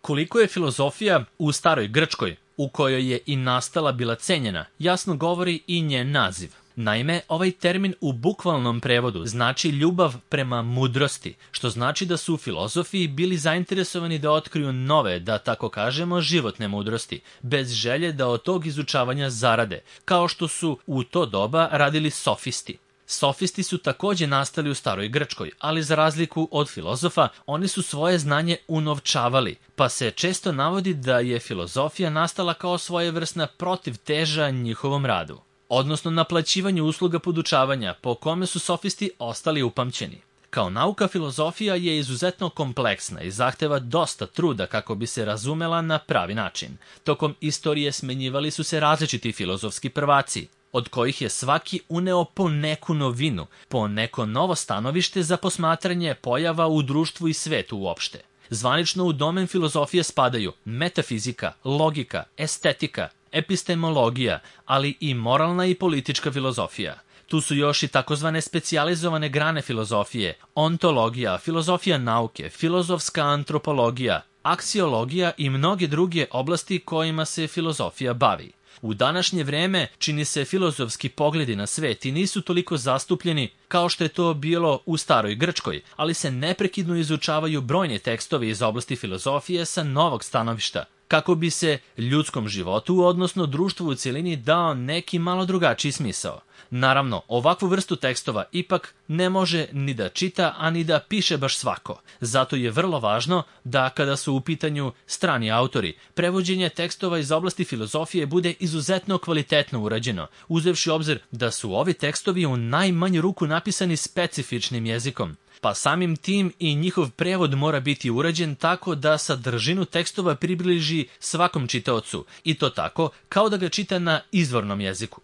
Koliko je filozofija u staroj Grčkoj, u kojoj je i nastala, bila cenjena, jasno govori i njen naziv. Naime, ovaj termin u bukvalnom prevodu znači ljubav prema mudrosti, što znači da su u filozofiji bili zainteresovani da otkriju nove, da tako kažemo, životne mudrosti, bez želje da od tog izučavanja zarade, kao što su u to doba radili sofisti. Sofisti su također nastali u staroj Grčkoj, ali za razliku od filozofa, oni su svoje znanje unovčavali, pa se često navodi da je filozofija nastala kao svojevrsna protivteža njihovom radu, odnosno naplaćivanju usluga podučavanja, po kome su sofisti ostali upamćeni. Kao nauka, filozofija je izuzetno kompleksna i zahteva dosta truda kako bi se razumela na pravi način. Tokom istorije smenjivali su se različiti filozofski prvaci, od kojih je svaki uneo po neku novinu, po neko novo stanovište za posmatranje pojava u društvu i svetu uopšte. Zvanično u domen filozofije spadaju metafizika, logika, estetika, epistemologija, ali i moralna i politička filozofija. Tu su još i takozvane specijalizovane grane filozofije, ontologija, filozofija nauke, filozofska antropologija, aksiologija i mnoge druge oblasti kojima se filozofija bavi. U današnje vrijeme čini se filozofski pogledi na svet i nisu toliko zastupljeni kao što je to bilo u staroj Grčkoj, ali se neprekidno izučavaju brojni tekstovi iz oblasti filozofije sa novog stanovišta, kako bi se ljudskom životu, odnosno društvu u cjelini, dao neki malo drugačiji smisao. Naravno, ovakvu vrstu tekstova ipak ne može ni da čita, a ni da piše baš svako. Zato je vrlo važno da kada su u pitanju strani autori, prevođenje tekstova iz oblasti filozofije bude izuzetno kvalitetno urađeno, uzevši obzir da su ovi tekstovi u najmanju ruku napisani specifičnim jezikom. Pa samim tim i njihov prevod mora biti urađen tako da sadržinu tekstova približi svakom čitaocu, i to tako kao da ga čita na izvornom jeziku.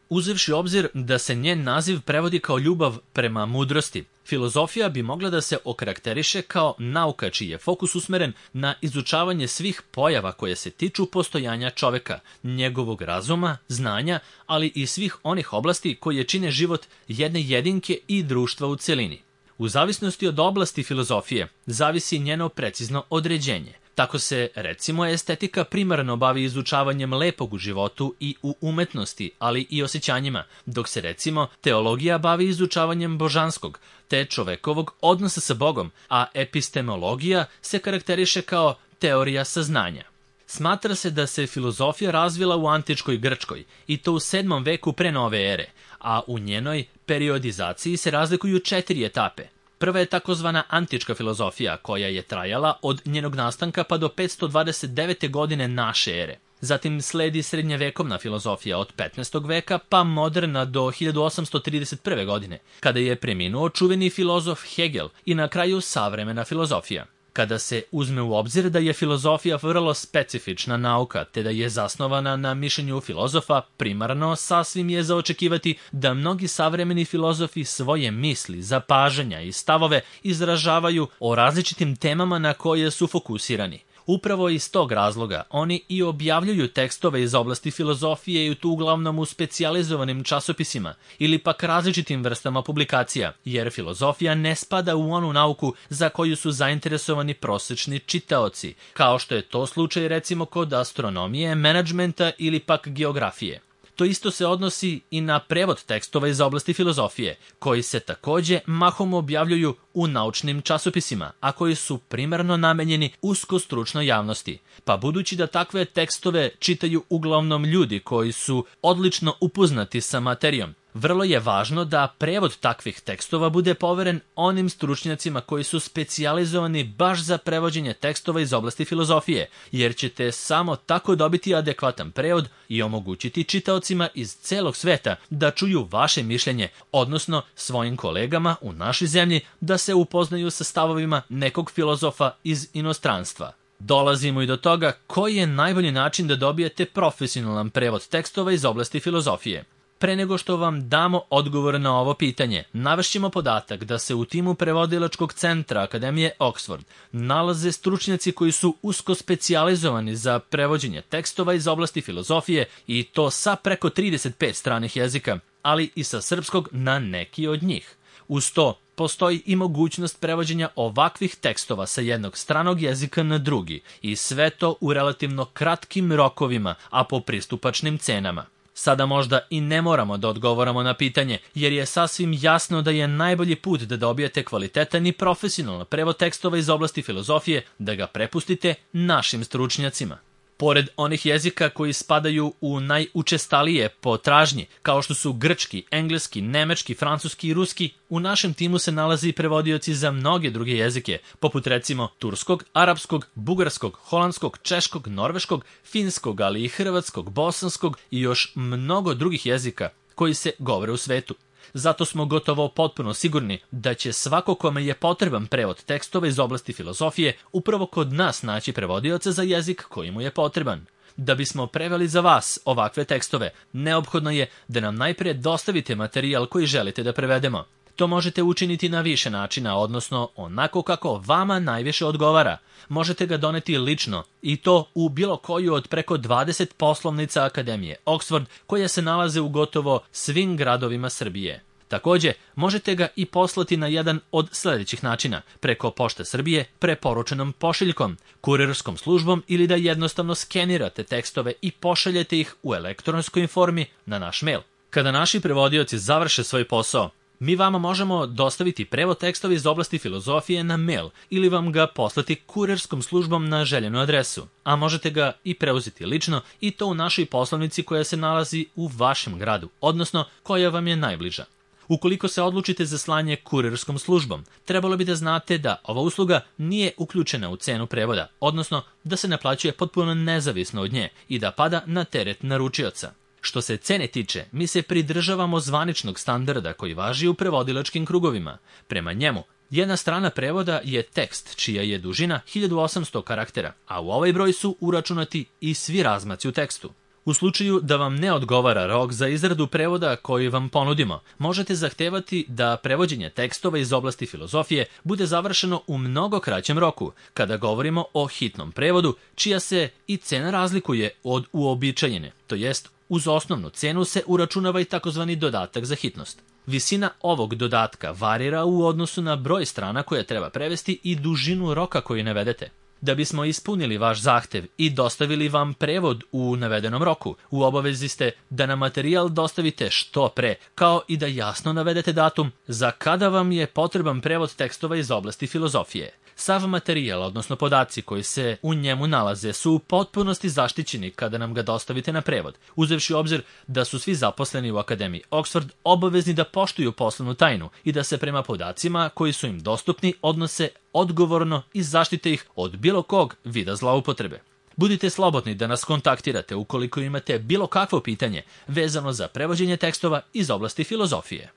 Uzevši obzir da se njen naziv prevodi kao ljubav prema mudrosti, filozofija bi mogla da se okarakteriše kao nauka čiji je fokus usmeren na izučavanje svih pojava koje se tiču postojanja čoveka, njegovog razuma, znanja, ali i svih onih oblasti koje čine život jedne jedinke i društva u cjelini. U zavisnosti od oblasti filozofije zavisi njeno precizno određenje. Tako se, recimo, estetika primarno bavi izučavanjem lepog u životu i u umetnosti, ali i osjećanjima, dok se, recimo, teologija bavi izučavanjem božanskog, te čovekovog odnosa sa Bogom, a epistemologija se karakteriše kao teorija saznanja. Smatra se da se filozofija razvila u antičkoj Grčkoj, i to u 7. veku pre nove ere, a u njenoj periodizaciji se razlikuju 4 etape. Prva je takozvana antička filozofija, koja je trajala od njenog nastanka pa do 529. godine naše ere. Zatim sledi srednjevekovna filozofija od 15. veka pa moderna do 1831. godine, kada je preminuo čuveni filozof Hegel, i na kraju savremena filozofija. Kada se uzme u obzir da je filozofija vrlo specifična nauka, te da je zasnovana na mišljenju filozofa, primarno sasvim je za očekivati da mnogi savremeni filozofi svoje misli, zapažanja i stavove izražavaju o različitim temama na koje su fokusirani. Upravo iz tog razloga oni i objavljuju tekstove iz oblasti filozofije i to uglavnom u specijalizovanim časopisima ili pak različitim vrstama publikacija, jer filozofija ne spada u onu nauku za koju su zainteresovani prosječni čitaoci, kao što je to slučaj recimo kod astronomije, menadžmenta ili pak geografije. To isto se odnosi i na prevod tekstova iz oblasti filozofije, koji se također mahom objavljuju u naučnim časopisima, a koji su primarno namenjeni usko stručnoj javnosti. Pa budući da takve tekstove čitaju uglavnom ljudi koji su odlično upoznati sa materijom, vrlo je važno da prevod takvih tekstova bude poveren onim stručnjacima koji su specijalizovani baš za prevođenje tekstova iz oblasti filozofije, jer ćete samo tako dobiti adekvatan prevod i omogućiti čitaocima iz celog sveta da čuju vaše mišljenje, odnosno svojim kolegama u našoj zemlji da se upoznaju sa stavovima nekog filozofa iz inostranstva. Dolazimo i do toga koji je najbolji način da dobijete profesionalan prevod tekstova iz oblasti filozofije. Pre nego što vam damo odgovor na ovo pitanje, navešćemo podatak da se u timu prevodilačkog centra Akademije Oxford nalaze stručnjaci koji su usko specijalizovani za prevođenje tekstova iz oblasti filozofije, i to sa preko 35 stranih jezika, ali i sa srpskog na neki od njih. Uz to, postoji i mogućnost prevođenja ovakvih tekstova sa jednog stranog jezika na drugi i sve to u relativno kratkim rokovima, a po pristupačnim cenama. Sada možda i ne moramo da odgovaramo na pitanje, jer je sasvim jasno da je najbolji put da dobijete kvalitetan i profesionalan prevod tekstova iz oblasti filozofije da ga prepustite našim stručnjacima. Pored onih jezika koji spadaju u najučestalije po tražnji, kao što su grčki, engleski, nemački, francuski i ruski, u našem timu se nalaze i prevodioci za mnoge druge jezike, poput recimo turskog, arapskog, bugarskog, holandskog, češkog, norveškog, finskog, ali i hrvatskog, bosanskog i još mnogo drugih jezika koji se govore u svetu. Zato smo gotovo potpuno sigurni da će svako kome je potreban prevod tekstova iz oblasti filozofije upravo kod nas naći prevodioca za jezik koji mu je potreban. Da bismo preveli za vas ovakve tekstove, neophodno je da nam najprije dostavite materijal koji želite da prevedemo. To možete učiniti na više načina, odnosno onako kako vama najviše odgovara. Možete ga doneti lično i to u bilo koju od preko 20 poslovnica Akademije Oxford koje se nalaze u gotovo svim gradovima Srbije. Takođe, možete ga i poslati na jedan od sledećih načina, preko Pošte Srbije, preporučenom pošiljkom, kurirskom službom ili da jednostavno skenirate tekstove i pošaljete ih u elektronskoj formi na naš mail. Kada naši prevodioci završe svoj posao, mi vama možemo dostaviti prevod tekstova iz oblasti filozofije na mail ili vam ga poslati kurirskom službom na željenu adresu, a možete ga i preuzeti lično i to u našoj poslovnici koja se nalazi u vašem gradu, odnosno koja vam je najbliža. Ukoliko se odlučite za slanje kurirskom službom, trebalo bi da znate da ova usluga nije uključena u cenu prevoda, odnosno da se naplaćuje potpuno nezavisno od nje i da pada na teret naručioca. Što se cene tiče, mi se pridržavamo zvaničnog standarda koji važi u prevodilačkim krugovima. Prema njemu, jedna strana prevoda je tekst čija je dužina 1800 karaktera, a u ovaj broj su uračunati i svi razmaci u tekstu. U slučaju da vam ne odgovara rok za izradu prevoda koji vam ponudimo, možete zahtevati da prevođenje tekstova iz oblasti filozofije bude završeno u mnogo kraćem roku, kada govorimo o hitnom prevodu, čija se i cena razlikuje od uobičajene, to jest uz osnovnu cenu se uračunava i takozvani dodatak za hitnost. Visina ovog dodatka varira u odnosu na broj strana koje treba prevesti i dužinu roka koju navedete. Da bismo ispunili vaš zahtev i dostavili vam prevod u navedenom roku, u obavezi ste da nam materijal dostavite što pre, kao i da jasno navedete datum za kada vam je potreban prevod tekstova iz oblasti filozofije. Sav materijal, odnosno podaci koji se u njemu nalaze, su u potpunosti zaštićeni kada nam ga dostavite na prevod, uzevši u obzir da su svi zaposleni u Akademiji Oxford obavezni da poštuju poslovnu tajnu i da se prema podacima koji su im dostupni odnose odgovorno i zaštite ih od bilo kog vida zloupotrebe. Budite slobodni da nas kontaktirate ukoliko imate bilo kakvo pitanje vezano za prevođenje tekstova iz oblasti filozofije.